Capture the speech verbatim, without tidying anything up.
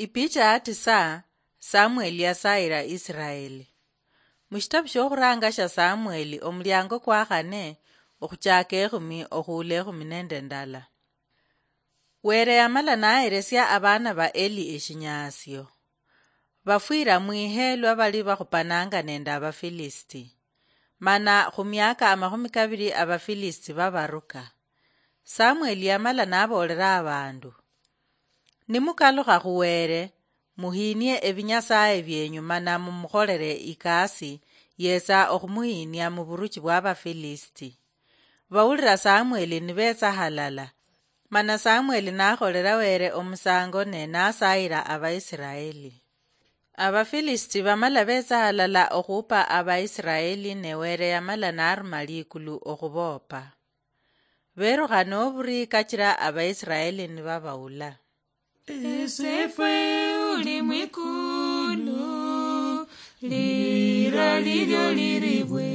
Ipicha ya tisa. Samueli yasaayira Isiraeli. Mu shitabu sh'okhuraanga sha Samueli, omuliango kwa khane, okhuchaaka ekhumi okhuula ekhumi nende ndala. Were yamala naheresia abaana ba Eli eshinyaasio. Bafwira mwihe lwa bali bakhupanaanga nende Abafilisiti. Mana khu miaka amakhumi kabiri Abafilisiti babaruka. Samueli yamala naboolera abandu, "Nimukalukha khu Were, muhiinie ebinyasaye bienyu mana mumukholere ikasi, yetsa okhumuhiinia mu buruchi bwa Abafilisiti." Bawulira Samueli nibetsa halala. Mana Samueli nakholera Were omusango ne nasayira Abaisiraeli. Abafilisiti bamala betsa halala okhupa Abaisiraeli, ne Were yamala naruma likulu okhuboopa. Berukha noburi kachira Abaisiraeli nibabawula. Esefwe uli mwikulu, lira lilyo liribwe.